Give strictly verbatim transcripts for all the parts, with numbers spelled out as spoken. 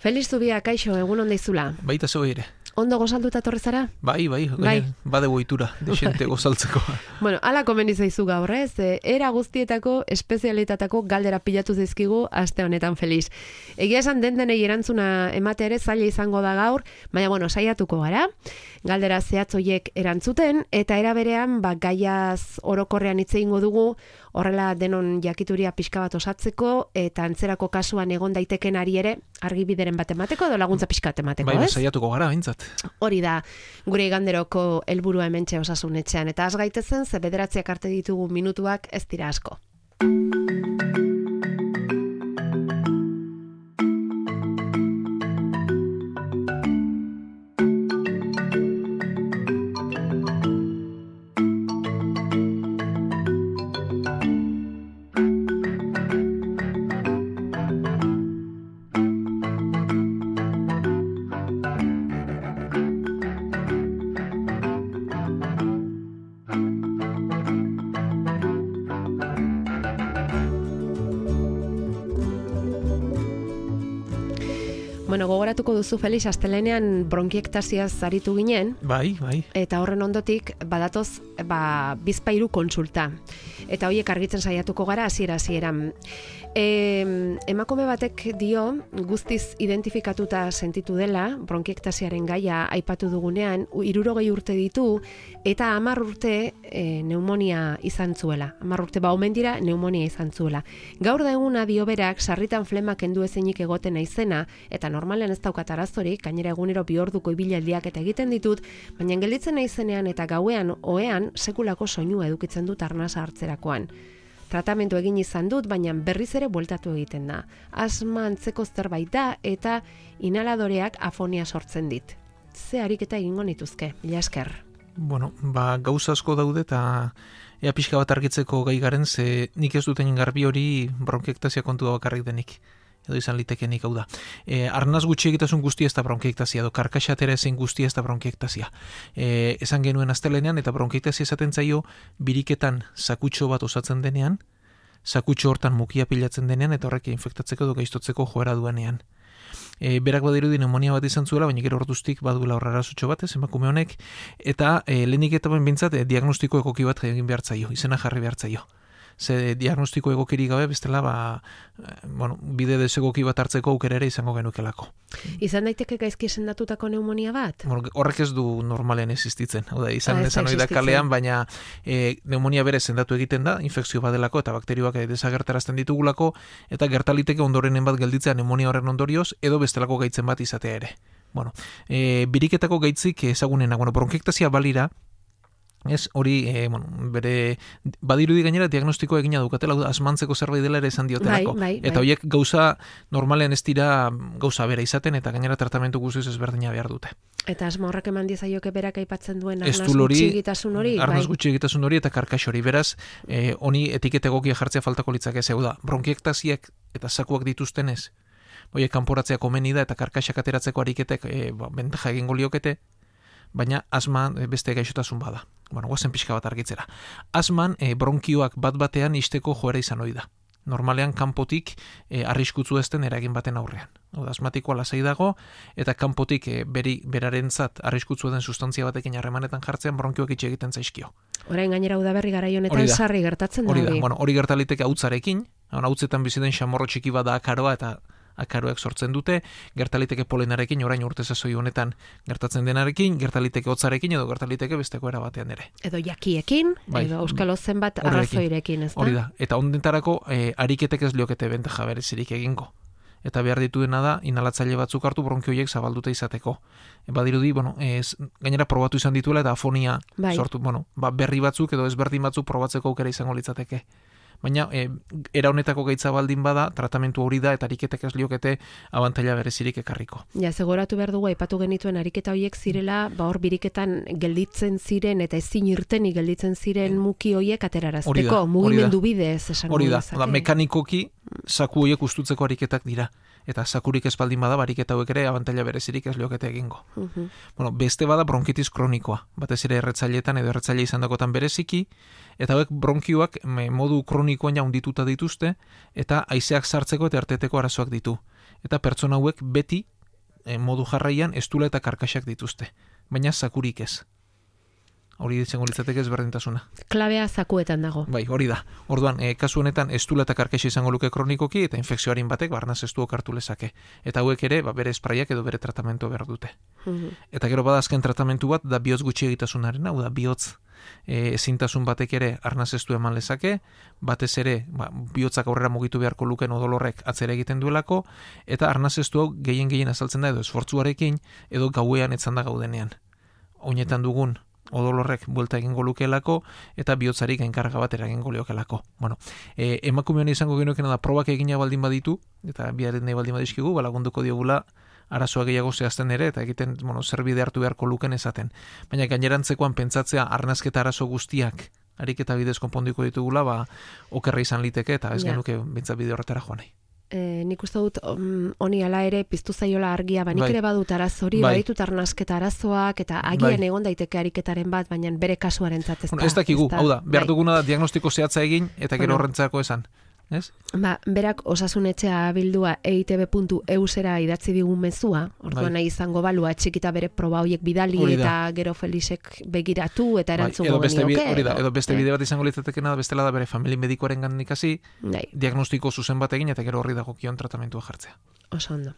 Feliz Zubia, kaixo, egun onda izula. Baita zeu ere. Ondo gozalduta torre zara? Bai, bai, bai. Bade boitura, desente gozaltzeko. Bueno, ala komeni zaizu gaur, ez? Era guztietako, espezialitatako galdera pilatu zaizkigu aste honetan Feliz. Egia esan den denei erantzuna ematea ere zaila izango da gaur, baina bueno, saiatuko gara. Galdera zehatz hoiek erantzuten, eta era berean, ba, gaiaz orokorrean hitz egingo dugu, horrela denon jakituria pixka bat osatzeko, eta antzerako kasuan egon daiteken ari ere, argibideren bat emateko, edo laguntza pixka bat emateko, bai, ez? Bai, saiatuko gara, bintzat. Hori da, gure iganderoko helburua hementxe Osasun Etxean, eta az gaitezen, ze bederatziak arte ditugu minutuak ez dira asko. Bueno, gogoratuko duzu, Felix, astelenean bronkiektaziaz aritu ginen. Bai, bai. Eta horren ondotik, badatoz, ba, bizpairu kontsulta. Eta horiek argitzen saiatuko gara, hasiera hasieran. E, emakume batek dio, guztiz identifikatuta sentitu dela, bronkiektaziaren gaia aipatu dugunean, hirurogei urte ditu, eta hamar urte e, pneumonia izan zuela. Hamar urte ba omen dira, pneumonia izan zuela. Gaur da eguna dio berak, sarritan flema kendu ezinik egoten naizena, eta normalean ez daukat arazorik, gainera egunero bi orduko ibilaldiak eta egiten ditut, baina gelditzen naizenean eta gauean ohean sekulako soinua edukitzen dut arnasa hartzerakoan. Tratamendu egin izan dut, baina berriz ere bueltatu egiten da. Asma antzeko zerbait da eta inhaladoreak afonia sortzen dit. Ze ariketa egingo nituzke, mila esker. Bueno, ba, gauza asko daude eta ea pixka bat argitzeko gai garen, ze nik ez duten garbi hori bronkiektasia kontu da bakarrik denik. Edo izan litekenik hau da. E, arnaz gutxi egitasun guztia ez da bronkiektasia, edo karkaxatera ezin guztia ez da bronkiektasia. E, esan genuen astelenean, eta bronkiektasia esaten zaio, biriketan sakutxo bat osatzen denean, sakutxo hortan mukia pilatzen denean, eta horrek infektatzeko edo gaiztotzeko joera duenean. E, berak badirudi pneumonia bat izan zuela, baina gero orduztik baduela horrela zutxo bat, ez, emakume honek, eta e, lehenik eta ben bintzat, e, diagnostiko egoki bat egin behar zaio, izena jarri behar zaio. Ze diagnostiko egokiri gabe bestela ba, bueno, bide desegoki bat hartzeko aukera ere izango genukelako. Izan daiteke gaizki esendatutako pneumonia bat? Horrek ez du normalean existitzen. Hau da, izan ezan hori da kalean, baina e, pneumonia bere sendatu egiten da, infekzio badelako eta bakterioak desagertarazten ditugulako, eta gertaliteke ondorenen bat gelditzea pneumonia horren ondorioz, edo bestelako gaitzen bat izatea ere. Bueno, e, biriketako gaitzik ezagunena, bueno, bronkiektasia balira, ez, hori, e, bueno, bere, badirudi gainera diagnostikoa egina dukatela, asmantzeko zerbait dela ere esan diotelako. Bai, bai, bai. Eta horiek gauza, normalean ez dira gauza bera izaten, eta gainera tratamentu guztiz ezberdina behar dute. Eta asma horrek eman diezaioke berak aipatzen duen arnaz hori, gutxigitasun hori? Arnaz gutxigitasun hori eta karkax hori. Beraz, e, honi etiketa egokia jartzea faltako litzake zeu da. Bronkiektaziak eta zakuak dituztenez, horiek kanporatzea komeni da, eta karkaxak ateratzeko ariketek e, ba, bentaja egingo liokete, baina asma beste gaixotasun bada. Bueno, guazen pixka bat argitzera. Asman e, bronkioak bat batean isteko joera izan hori da. Normalean kanpotik e, arriskutzu ezten eragin baten aurrean. Oda, asmatikoa lasai dago, eta kanpotik e, beri, berarentzat arriskutzu den sustantzia batekin harremanetan jartzean bronkioak itxe egiten zaizkio. Orain gainera udaberri garai honetan sarri gertatzen da hori. Hori da, bueno, hori gertaliteke hautzarekin, hautzetan biziten xamorro txiki bat da akaroa, eta akaroek sortzen dute, gertaliteke polenarekin, orain urte sasoi honetan gertatzen denarekin, gertaliteke hotzarekin edo gertaliteke besteko era batean ere. Edo jakiekin, bai, edo euskalo zenbat arrazoirekin, ez da? Hori da, eta ondentarako e, ariketek ez liokete bentaja berezirik egingo. Eta behar dituena da, inhalatzaile batzuk hartu bronkioiek zabalduta izateko. E, badirudi, bueno, ez, gainera probatu izan dituela eta afonia bai. sortu, bueno, ba, berri batzuk edo ezberdin batzuk probatzeko aukera izango litzateke. Baina, e, era honetako gaitza baldin bada, tratamentu hori da, eta ariketek ez liokete abantaila berezirik ekarriko. Ja, segoratu behar dugu, aipatu genituen ariketa horiek zirela, ba hor biriketan gelditzen ziren, eta ezin irtenik gelditzen ziren muki horiek aterarazteko, mugimendu bidez esango hori da, da, mekanikoki, zaku horiek ustutzeko ariketak dira. Eta zakurik ez baldin bada, bariketa hauek ere abantaila berezirik ez liokete egingo. Uh-huh. Bueno, beste bada bronkitis kronikoa, batez ere erretzailetan edo erretzaile izan dakotan bereziki, eta hauek bronkioak modu kronikoan jaundituta dituzte, eta haizeak sartzeko eta erteteko arazoak ditu. Eta pertsona hauek beti e, modu jarraian estula eta karkaxak dituzte, baina zakurik ez. Hori izango litzateke ezberdintasuna. Klabea zakuetan dago. Bai, hori da. Orduan, e, kasu honetan estula eta karkaxa izango luke kronikoki eta infekzioarin batek barnaz estuok hartu lezake. Eta hauek ere, ba, bere espraiak edo bere tratamentu behar dute. Mm-hmm. Eta gero badazken tratamentu bat da bihotz gutxi egitasunaren, hau da bihotz e, ezintasun batek ere arnaz estu eman lezake, batez ere ba, bihotzak aurrera mugitu beharko luken odolorrek atzera egiten duelako, eta arnaz estu hau gehien gehien azaltzen da edo esfortzuarekin edo gauean etzanda gaudenean. Oinetan dugun odolorrek buelta egingo lukeelako eta bihotzarik enkarga bat eragingo liokelako. Bueno, e, emakumean izango genuken da probak egina baldin baditu, eta biaren nahi baldin badizkigu, balagunduko diogula arazoa gehiago zehazten ere, eta egiten, bueno, zer bide hartu beharko luken esaten. Baina gainerantzekoan pentsatzea arnazketa arazo guztiak ariketa bidez konponduko ditugula, ba, okerra izan liteke, eta ez ja. Genuke bintzat bide horretara joan nahi. E, nik uste dut honi um, ala ere piztu zaiola argia, ba nik bai. Ere badut arazori, bai. Baditut arnazketa arazoak, eta agian bai. Egon daiteke ariketaren bat, baina bere kasuaren zat ez da. Bueno, ez dakigu, hau da, behar bai. Duguna da diagnostiko zehatza egin, eta gero bueno. Horrentzako esan. Ez? Ba, berak osasunetxea bildua e i te be puntu e u zera idatzi digun mezua, orduan bai. Nahi izango balua txikita bere proba horiek bidali eta gero Felixek begiratu eta erantzungo bai. Edo genioke. Hori da, edo beste eh? Bide bat izango litzatekena da bestela da bere famili medikoaren gandik hasi, bai. Diagnostiko zuzen bat egin eta gero horri dagokion tratamentua jartzea. Oso ondo.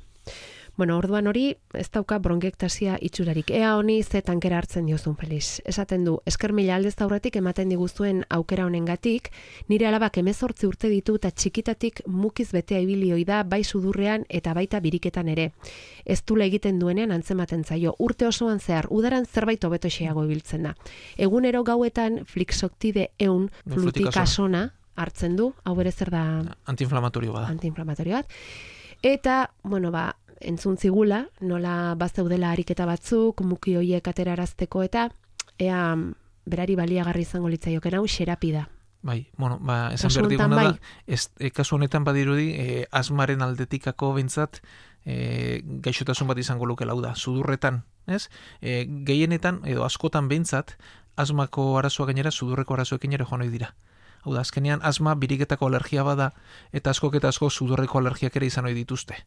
Bueno, orduan hori ez dauka bronkiektasia itxurarik. Ea honi ze tankera hartzen diozun, Felix. Esaten du, esker mila aldez aurretik ematen diguzuen aukera honengatik, nire alabak hemezortzi urte ditu eta txikitatik mukiz betea ibilioi da bai sudurrean eta baita biriketan ere. Ez dula egiten duenean antzematen zaio. Urte osoan zehar, udaran zerbait hobeto xeago ibiltzen da. Egunero gauetan flixoktide eun flutikasona hartzen du, hau bere zer da... Antiinflamatorio bada. Antiinflamatorio bat. Eta, bueno, ba, entzun zigula, nola bazeudela ariketa batzuk, muki hoiek aterarazteko eta ea berari baliagarri izango litzaioken hau xerapida. Bai, bueno, ba, esan behar diguna bai. Da, ez, e, kasu honetan badirudi, e, asmaren aldetikako bintzat, e, gaixotasun bat izango luke lau da, sudurretan, ez? E, gehienetan, edo askotan bintzat, asmako arazoa gainera, sudurreko arazoekin ere joan ohi dira. Hau da, azkenean, asma biriketako alergia bada, eta askok eta asko sudurreko alergiak ere izan ohi dituzte.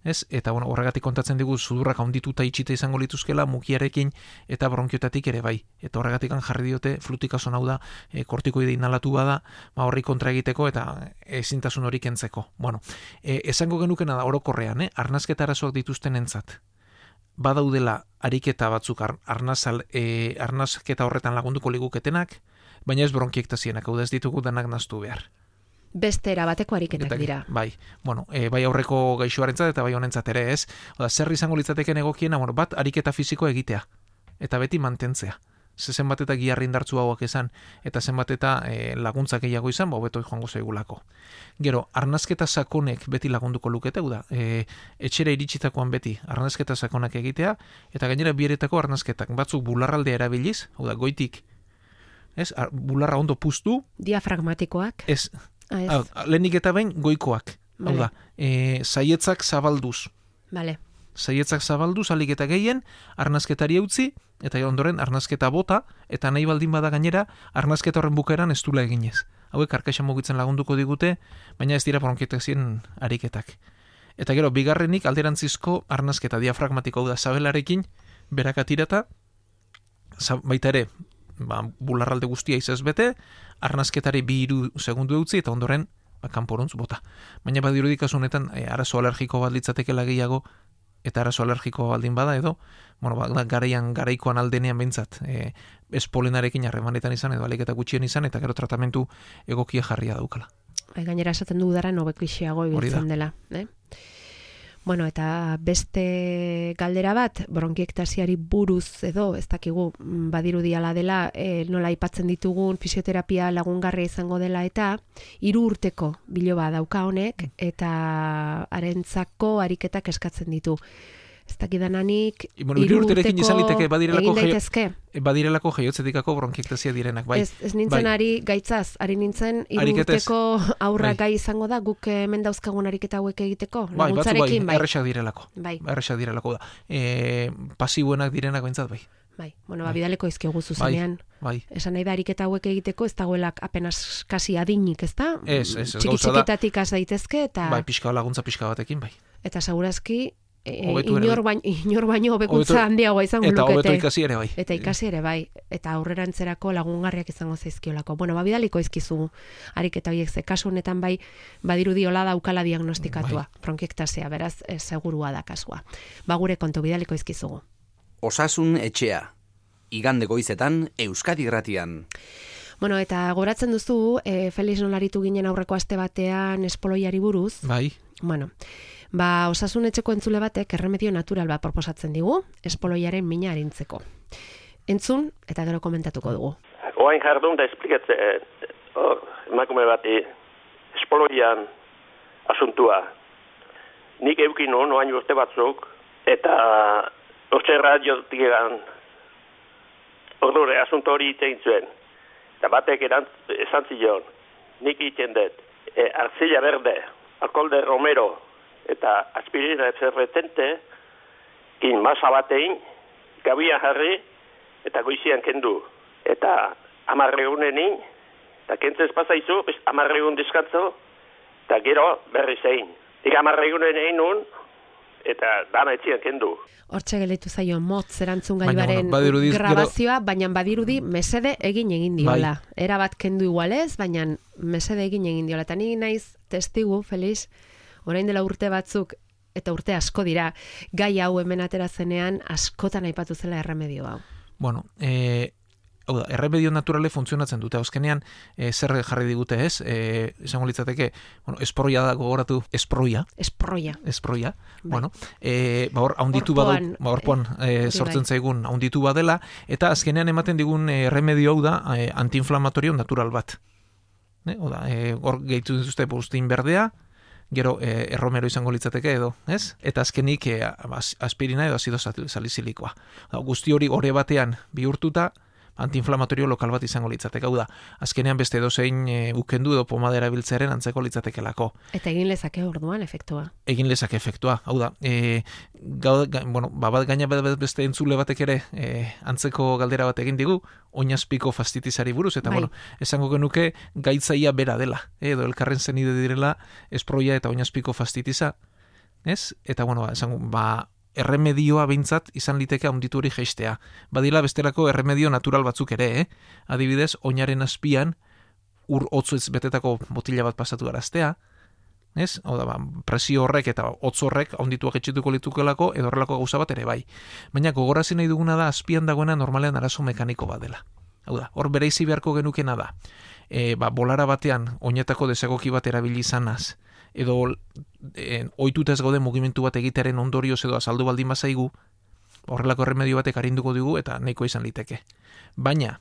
Ez? Eta bueno, horregatik kontatzen digu sudurrak handituta itxita izango lituzkela mukiarekin eta bronkiotatik ere bai. Eta horregatik jarri diote flutikazon hau da e, kortikoide inhalatu bada, ba horri kontra egiteko eta ezintasun hori kentzeko. Bueno, e, esango genukena da orokorrean, eh, arnazketa arazoak dituztenentzat badaudela ariketa batzuk ar, arnazal, e, arnazketa horretan lagunduko liguketenak, baina ez bronkiektasienak, hau da ez ditugu danak naztu behar. Beste erabateko ariketak dira. Bai, bueno, e, bai aurreko gaixoarentzat eta bai honentzat ere ez. Oda, zer izango litzateken egokiena, bueno, bat ariketa fisiko egitea. Eta beti mantentzea. Ze zenbat eta giarri indartzu hauak esan, eta zenbat eta e, laguntzak gehiago izan, ba, hobeto joango zaigulako. Gero, arnazketa sakonek beti lagunduko lukete, da, e, etxera iritsitakoan beti arnazketa sakonak egitea, eta gainera bieretako arnazketak batzuk bularraldea erabiliz, hau da, goitik, ez, ar, bularra ondo puztu. Diafragmatikoak. Ez, ah, lehenik eta behin goikoak. Vale. Hau da, e, saietzak zabalduz. Vale. Saietzak zabalduz, alik eta gehien, arnazketari eutzi, eta ondoren arnazketa bota, eta nahi baldin bada gainera, arnazketa horren bukaeran ez dula eginez. Hauek karkaxa mugitzen lagunduko digute, baina ez dira bronkietasien ariketak. Eta gero, bigarrenik alderantzizko arnazketa diafragmatiko, hau da, zabelarekin, berakatirata, baita ere, ba, bularralde guztia izaz bete, arnazketari bi hiru segundu eutzi, eta ondoren, ba, kanporuntz bota. Baina badirudik honetan e, arazo alergiko bat litzatekela gehiago, eta arazo alergiko baldin bada edo, bueno, ba, garaian, garaikoan aldenean behintzat, e, ez polenarekin harremanetan izan, edo aliketa gutxien izan, eta gero tratamentu egokia jarria daukala. Gainera esaten du dara nobekixeago ibiltzen dela. Eh? Bueno, eta beste galdera bat, bronkiektasiari buruz edo, ez dakigu, badirudiala dela, e, nola aipatzen ditugun fisioterapia lagungarria izango dela, eta hiru urteko biloba dauka honek, eta harentzako ariketak eskatzen ditu. Ez dakidananik, bueno, hiru urterekin izan liteke egin daitezke. Badirelako jaiotzetikako bronkiektasia direnak, bai. Ez, ez nintzen bai. Ari gaitzaz, ari nintzen hiru urteko aurra bai. Gai izango da guk hemen dauzkagun ariketa hauek egiteko. Bai, batzu bai, bai. erresak direlako. Bai. Erresak direlako da. E, pasibuenak direnak bentsat, bai. Bai, bueno, bai. Bidaleko izkigu zuzenean. Bai, bai. Esan nahi da ariketa hauek egiteko ez dagoelak apenas kasi adinik, ez da? Ez, ez, ez. Txiki-txikitatik az daitezke eta... Bai, pixka laguntza pixka batekin, bai. Eta segurazki inor baino, inor baino hobekuntza handiagoa izango lukete. Eta hobeto ikasi ere bai. Eta ikasi ere bai. Eta aurrerantzerako lagungarriak izango zaizkiolako. Bueno, ba, bidaliko izkizu ariketa horiek, ze kasu honetan bai, badirudiola daukala diagnostikatua. Bai. Bronkiektasia, beraz, e, segurua da kasua. Ba, gure kontu bidaliko izkizugu. Osasun etxea. Igande goizetan, Euskadi Irratian. Bueno, eta goratzen duzu, e, Felix nolaritu ginen aurreko aste batean espoloiari buruz. Bai. Bueno, ba, osasun etxeko entzule batek erremedio natural bat proposatzen digu, espoloiaren mina arintzeko. Entzun, eta gero komentatuko dugu. Oain jardun da esplikatze, oh, emakume bati, espoloian asuntua. Nik eukin hon, oain urte batzuk, eta ortsa radiotik egan, ordure, asunto hori iten zuen. Eta batek erant, esan zion, nik iten dut, e, arzilla berde, alkohol de romero, eta aspirina efferretente, in masa batein, gabian jarri, eta goizian kendu. Eta amarregunenin, eta kentzez pasaizu, amarregun diskantzo, eta gero berri zein. Ika amarregunen egin nun, eta dana etxian kendu. Hortxe gelitu zaio motz erantzun gaibaren bueno, grabazioa, gero... baina badirudi mesede egin egin diola. Bai. Era bat kendu igualez, baina mesede egin egin diola. Eta ni naiz testigu, Felix, orain dela urte batzuk, eta urte asko dira, gai hau hemen atera zenean askotan aipatu zela erremedio hau. Bueno, eh... Hau da, erremedio naturale funtzionatzen dute. Azkenean, e, zer jarri digute ez? E, izango litzateke, bueno, esproia da gogoratu, esproia. Esproia. Esproia. Bai. Bueno, e, ba hor, haunditu badu, ba horpoan e, sortzen zaigun, haunditu badela, eta azkenean ematen digun erremedio hau da, e, antiinflamatorio natural bat. Ne? Hau da, e, hor gehitu dituzte bustin berdea, gero e, erromero izango litzateke edo, ez? Eta azkenik e, aspirina edo azido salicilikoa. Guzti hori gore batean bihurtuta, antiinflamatorio lokal bat izango litzateke. Hau da, azkenean beste edozein e, ukendu edo pomada erabiltzearen antzeko litzatekelako. Eta egin lezake orduan efektua. Egin lezake efektua. Hau da, e, gau, ga, bueno, babat gaina beste entzule batek ere e, antzeko galdera bat egin digu, oinazpiko fastitizari buruz, eta bai. Bueno, esango genuke gaitzaia bera dela, e, edo elkarren zenide direla esproia eta oinazpiko fastitiza, ez? Eta bueno, esango, ba, erremedioa behintzat izan liteke handitu hori jeistea. Badila bestelako erremedio natural batzuk ere, eh? Adibidez, oinaren azpian ur hotzuez betetako botila bat pasatu araztea, ez? Hau da, ba, presio horrek eta hotz horrek handituak etxituko litukelako edo horrelako gauza bat ere bai. Baina gogorazi nahi duguna da azpian dagoena normalean arazo mekaniko bat dela. Hau da, hor bereizi beharko genukena da. E, ba, bolara batean oinetako desegoki bat erabili izanaz, edo e, ohituta ez gaude mugimendu bat egitearen ondorioz edo azaldu baldin bazaigu, horrelako erremedio batek arinduko digu eta nahiko izan liteke. Baina,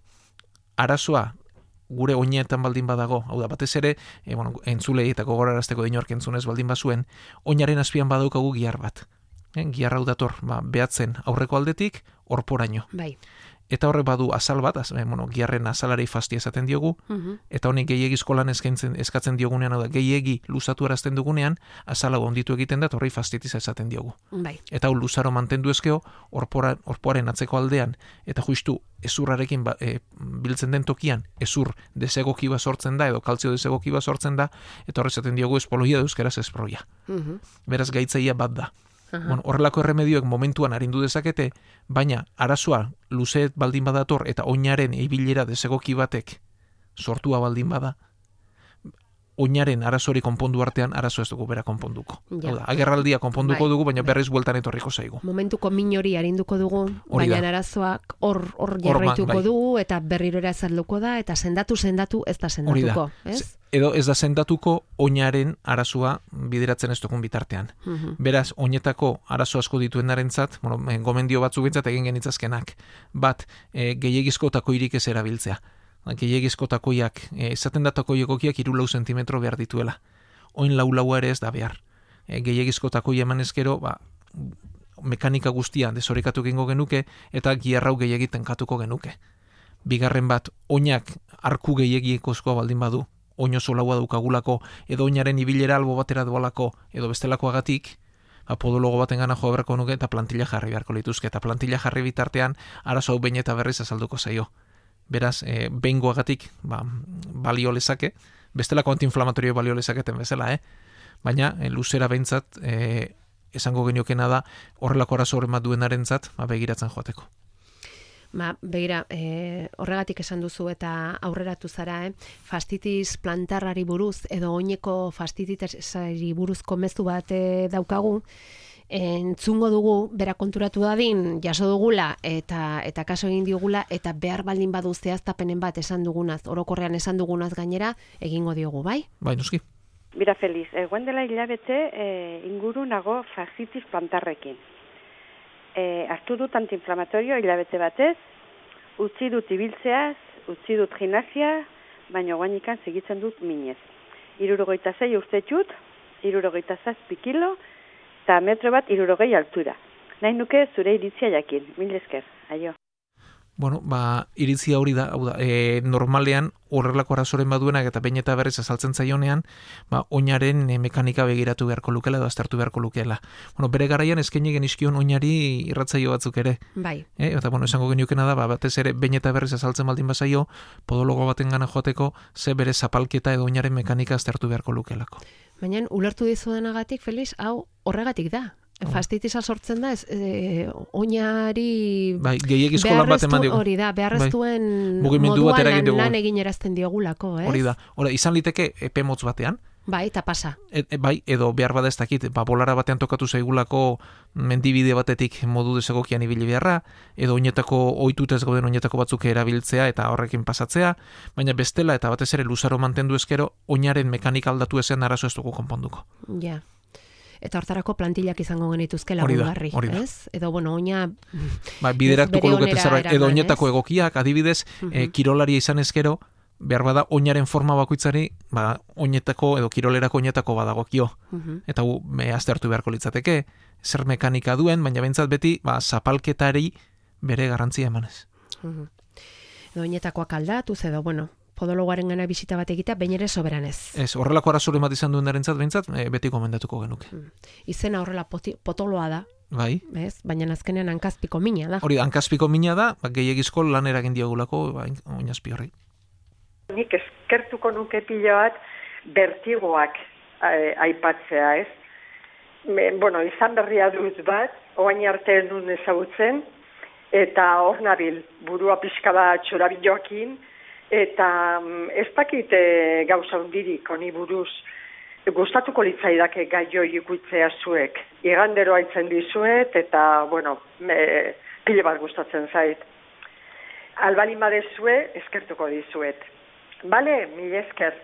arazoa gure oinetan baldin badago, hau da, batez ere, e, bueno, entzulei eta gogorarazteko dinork entzunez baldin bazuen, oinaren azpian badaukagu gihar bat. E, gihar hau dator, ba, behatzen aurreko aldetik, horporaino. Bai. Eta horrek badu azal bat, az, eh, bueno, giharren azalari fastia esaten diogu, uh-huh. Eta honek gehiagizko lan eskaintzen, eskatzen diogunean, hau da, gehiegi luzatu arazten dugunean, azala onditu egiten da, horrei fastitiza esaten diogu. Bai. Eta hau luzaro mantendu ezkeo, orpoaren atzeko aldean, eta justu ezurrarekin ba, e, biltzen den tokian, ezur desegoki bat sortzen da, edo kaltzio desegoki bat sortzen da, eta horre esaten diogu espoloia da euskeraz esproia. Uh-huh. Beraz gaitzaia bat da. Uh-huh. Bueno, horrelako erremedioek momentuan arindu dezakete, baina arazoa luzeet baldin badator eta oinaren ibilera desegoki batek sortua baldin bada, oinaren arazori konpondu artean arazo ez dugu bera konponduko. Ja. Hau da, agerraldia konponduko bai, dugu, baina bai. Berriz bueltan etorriko zaigu. Momentuko min hori arinduko dugu, baina arazoak hor hor jarraituko bai. Dugu eta berriro ere azalduko da eta sendatu sendatu ez da sendatuko, ez? Edo ez da sendatuko oinaren arazoa bideratzen ez dugun bitartean. Uh-huh. Beraz, oinetako arazo asko dituenarentzat, bueno, gomendio batzuk bintzat egin genitzazkenak. Bat, e, gehiagizko takoirik ez erabiltzea. Gehiagizko takoiak, e, esaten da takoiekokiak hiru lau sentimetro behar dituela. Oin lau laua ere ez da behar. E, gehiagizko takoia eman ezkero, ba, mekanika guztia desorikatu gengo genuke, eta giarrau gehiagiten katuko genuke. Bigarren bat, oinak arku gehiagiekozkoa baldin badu, oin oso laua daukagulako, edo oinaren ibilera albo batera dualako, edo bestelakoagatik, ba, podologo baten gana jo beharko nuke, eta plantilla jarri beharko lituzke, eta plantilla jarri bitartean, arazo hau behin eta berriz azalduko zaio. Beraz, e, behingoagatik ba, balio lezake, bestelako antiinflamatorio balio lezaketen bezala, eh? Baina, e, luzera behintzat, e, esango geniokena da horrelako arazo horren bat duenarentzat ba, begiratzen joateko. Ba, begira, e, horregatik esan duzu eta aurreratu zara, eh? Fastitis plantarrari buruz edo oineko fastitisari buruzko mezu bat e, daukagu, entzungo dugu, bera konturatu dadin, jaso dugula eta eta kaso egin diogula eta behar baldin badu zehaztapenen bat esan dugunaz, orokorrean esan dugunaz gainera, egingo diogu, bai? Bai, noski. Bira Feliz, egoen dela hilabete e, inguru nago fastitis plantarrekin. E, hartu dut antiinflamatorio hilabete batez, utzi dut ibiltzeaz, utzi dut gimnasia, baina guainikan segitzen dut minez. Hirurogeita sei urtetxut, hirurogeita zazpi kilo, eta metro bat hirurogei altura. Nahi nuke zure iritzia jakin, mil esker, aio. Bueno, ba, iritzia hori da, hau da, e, normalean horrelako arazoren baduenak eta behin eta berriz azaltzen zaionean, ba, oinaren e, mekanika begiratu beharko lukela edo aztertu beharko lukela. Bueno, bere garaian eskaini genizkion oinari irratzaio batzuk ere. Bai. E, eta, bueno, esango geniokena da, ba, batez ere behin eta berriz azaltzen baldin bazaio, podologo baten gana joateko, ze bere zapalketa edo oinaren mekanika aztertu beharko lukelako. Baina, ulertu dizudanagatik, Felix, hau horregatik da. Fastitisa sortzen da, ez, e, oinari bai, gehiagizko lan bat eman diogu. Hori da, beharreztuen bai. Moduan lan, lan egin erazten diogulako, ez? Hori da, hori, izan liteke epe motz batean. Bai, eta pasa. E, e, bai, edo behar bada ez dakit, ba, bolara batean tokatu zaigulako mendibide batetik modu desegokian ibili beharra, edo oinetako ohitutez gauden oinetako batzuk erabiltzea eta horrekin pasatzea, baina bestela eta batez ere luzaro mantendu ezkero, oinaren mekanika aldatu ezean arazo ez dugu konponduko. Ja. Eta hortarako plantillak izango genituzke lagungarri, ez? Edo, bueno, oina... Ba, bideratuko lukete zerbait, edo oinetako egokiak, adibidez, uh-huh. e, kirolaria izan ezkero, behar bada oinaren forma bakoitzari, ba, oinetako edo kirolerako oinetako badagokio. Uh-huh. Eta hu, me aztertu beharko litzateke, zer mekanika duen, baina bentsat beti, ba, zapalketari bere garrantzia emanez. Uh-huh. Edo oinetakoak aldatuz, edo, bueno... podologoaren gana bisita bat egitea, bain ere soberanez. Ez, horrelako arazore bat izan duen darentzat, behintzat, e, beti gomendatuko genuke. Hmm. Izena horrela poti, potoloa da. Bai. Ez? Baina azkenean hankazpiko mina da. Hori, hankazpiko mina da, ba, gehiagizko lan eragin diogulako, ba, oinazpi horri. Nik eskertuko nuke pila bat bertigoak eh, aipatzea, ez? Me, bueno, izan berria dut bat, oain arte nun ezagutzen, eta hor nabil, burua pixka bat txorabiloakin, eta ez dakit e, gauza hundirik honi buruz gustatuko litzaidake gai hori ikutzea zuek. Igandero haitzen dizuet eta, bueno, me, pile bat gustatzen zait. Albalin badezue, eskertuko dizuet. Bale, mil esker.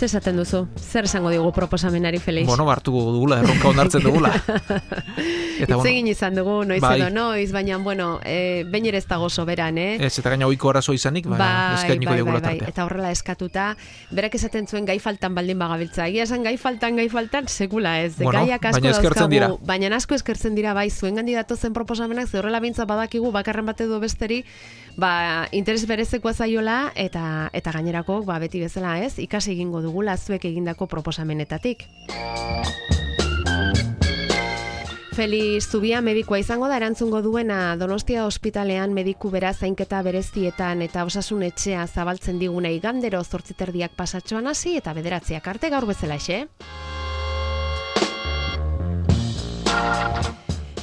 Zer esaten duzu? Zer esango digu proposamenari, Felix? Bueno, hartu dugula, erronka onartzen dugula. Eta bueno, egin izan dugu, noiz bai. Edo noiz, baina, bueno, e, behin ere ez dago soberan, eh? Ez, eta gaina ohiko arazo izanik, ba, bai, eskainiko bai, digula bai, bai. tartea. Eta horrela eskatuta, berak esaten zuen gai faltan baldin bagabiltza. Egia esan gai faltan, gai faltan, sekula ez. Bueno, gaiak asko baina eskertzen dauzkagu, dira. Baina asko eskertzen dira, bai, zuen gandidatu zen proposamenak, ze horrela bintza badakigu, bakarren bat edo besteri, ba, interes berezekoa zaiola, eta eta gainerako, ba, beti bezala ez, ikasi egingo dugula zuek egindako proposamenetatik. Felix Zubia medikua izango da erantzungo duena Donostia ospitalean mediku bera zainketa berezietan eta osasun etxea zabaltzen diguna igandero zortzi terdiak pasatxoan hasi eta bederatziak arte gaur bezalaxe.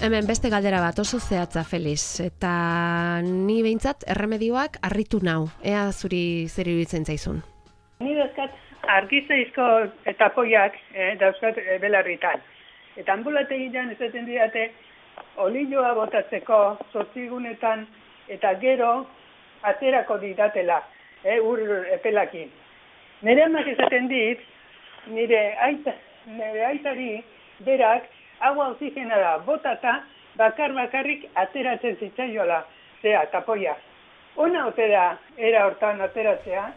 Hemen beste galdera bat oso zehatza, Felix, eta ni behintzat erremedioak harritu nau. Ea zuri zer iruditzen zaizun? Ni dauzkat argizaizko eta poiak eh, dauzkat e, belarritan. Eta ambulategian esaten didate olioa botatzeko zortzigunetan eta gero aterako didatela, eh, ur epelakin. Nire amak esaten dit, nire, aita, nire aitari berak agua oxigenada botata bakar bakarrik ateratzen zitzaiola, zea, tapoia. Ona ote da era hortan ateratzea?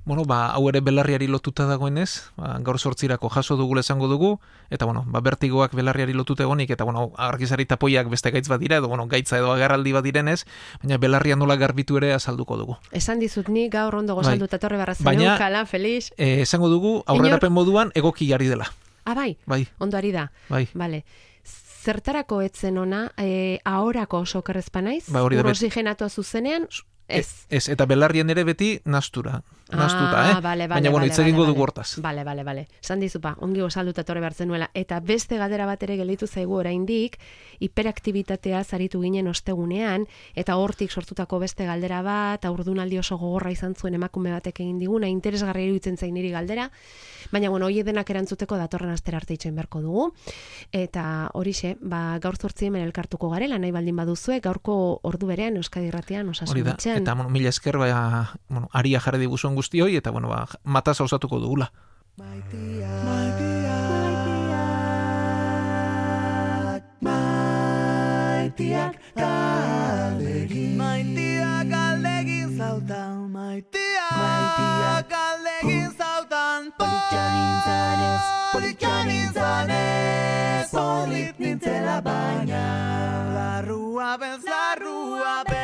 Bueno, ba, hau ere belarriari lotuta dagoenez, ba, gaur sortzirako jaso dugula esango dugu, eta, bueno, ba, bertigoak belarriari lotuta egonik, eta, bueno, argizari tapoiak beste gaitz bat dira, edo, bueno, gaitza edo agarraldi bat direnez, baina belarria nola garbitu ere azalduko dugu. Esan dizut ni gaur ondo gozalduta bai. Torre barra baina, kala, Felix. Eh, esango dugu, aurrerapen moduan, egoki jarri dela. Ah, bai? Bai. Ondo ari da? Bai. Vale. Zertarako etzen ona, eh, ahorako sokerrezpa naiz? Ba, hori da. Ur oxigenatua zuzenean? Ez. Ez, eta belarrian ere beti nastura. Nastuta, ah, eh? Vale, vale, Baina, bueno, vale, hitz egingo vale, dugu hortaz. Bale, bale, bale. San dizupa, ongi osalduta torre behar zenuela. Eta beste galdera bat ere gelditu zaigu oraindik, hiperaktibitatea zaritu ginen ostegunean, eta hortik sortutako beste galdera bat, aurdunaldi oso gogorra izan zuen emakume batek egin diguna, interesgarria iruditzen zain niri galdera, baina, bueno, hori denak erantzuteko datorren astera arte itxoin beharko dugu. Eta horixe, ba, gaur zortzi hemen elkartuko garela, nahi baldin baduzue, gaurko ordu berean Euskadi Irratian osasun Hori da, etxean. eta, bueno, mila esker, ba, bueno, aria jarri diguzuen guztioi, eta, bueno, ba, matasa osatuko dugula. Maitiak, maitiak, maitiak galdegin, maitiak galdegin zautan, maitiak galdegin zautan, politxan nintzanez, politxan nintzanez, polit nintzela baina, larrua bez, larrua bez.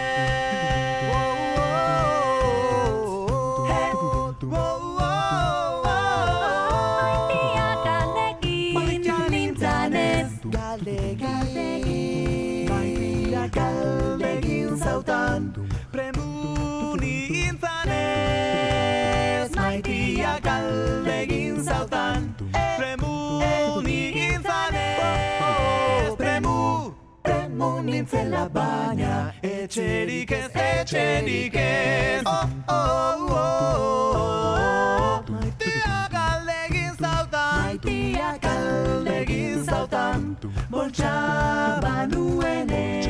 Galdegin zautan, premuni intzanez. Maitia galdegin zautan, premuni intzanez. Premu, premu nintzela baina, etxerik ez, etxerik ez. Oh, oh, oh, maitia galdegin zautan, maitia galdegin zautan, boltsa banuenez.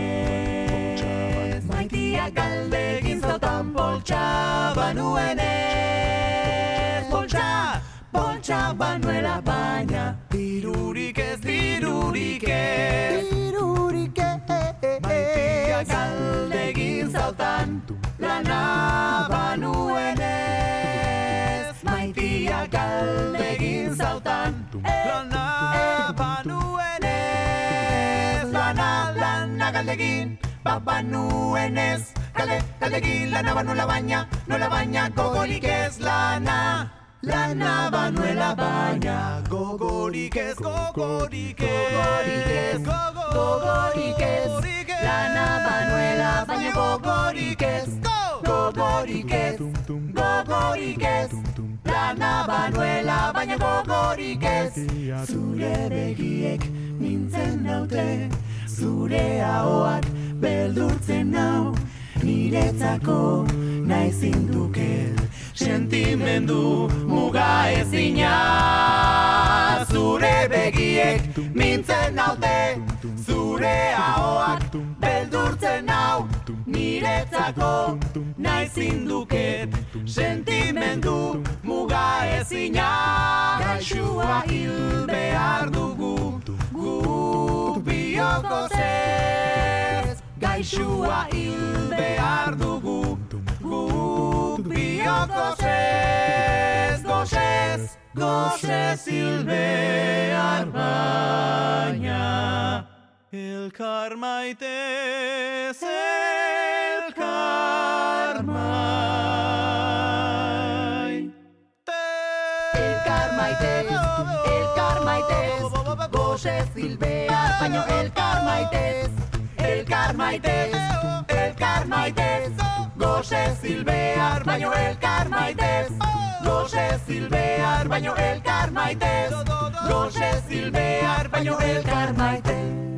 Maitia galdegin zautan, boltsa banuenez. Boltsa, boltsa banuela baina, dirurik ez, dirurik ez. Dirurik ez. Maitia galdegin zautan, lana banuenez. Maitia galdegin zautan, lana banuenez. Lana, lana galdegin, banuenez. Galde, galdegin, lana banuela baina, nola baina, gogorik ez lana. Lana banuela baina, gogorik ez, gogorik ez, gogorik ez. Lana banuela baina, gogorik ez, gogorik ez, gogorik ez. Lana banuela baina, gogorik ez. Zure begiek nintzen naute, zure ahoak beldurtzen nau, niretzako naizin duket, sentimendu muga ezina. Zure begiek mintzen naute, zure ahoak beldurtzen nau, niretzako naizin duket, sentimendu muga ezina. Gaixua hil behar dugu, gu bioko zez. Gaixua hil behar dugu, gu bioko zez. Gozez, gozez hil behar baina, elkar maitez, elkar mai. Elkar maitez, elkar maitez, gozez hil behar baina, elkar maitez. Elkar maitez, elkar maitez, gozez hil behar baino elkar maitez. Gozez hil behar baino elkar maitez, gozez hil behar baino elkar maitez.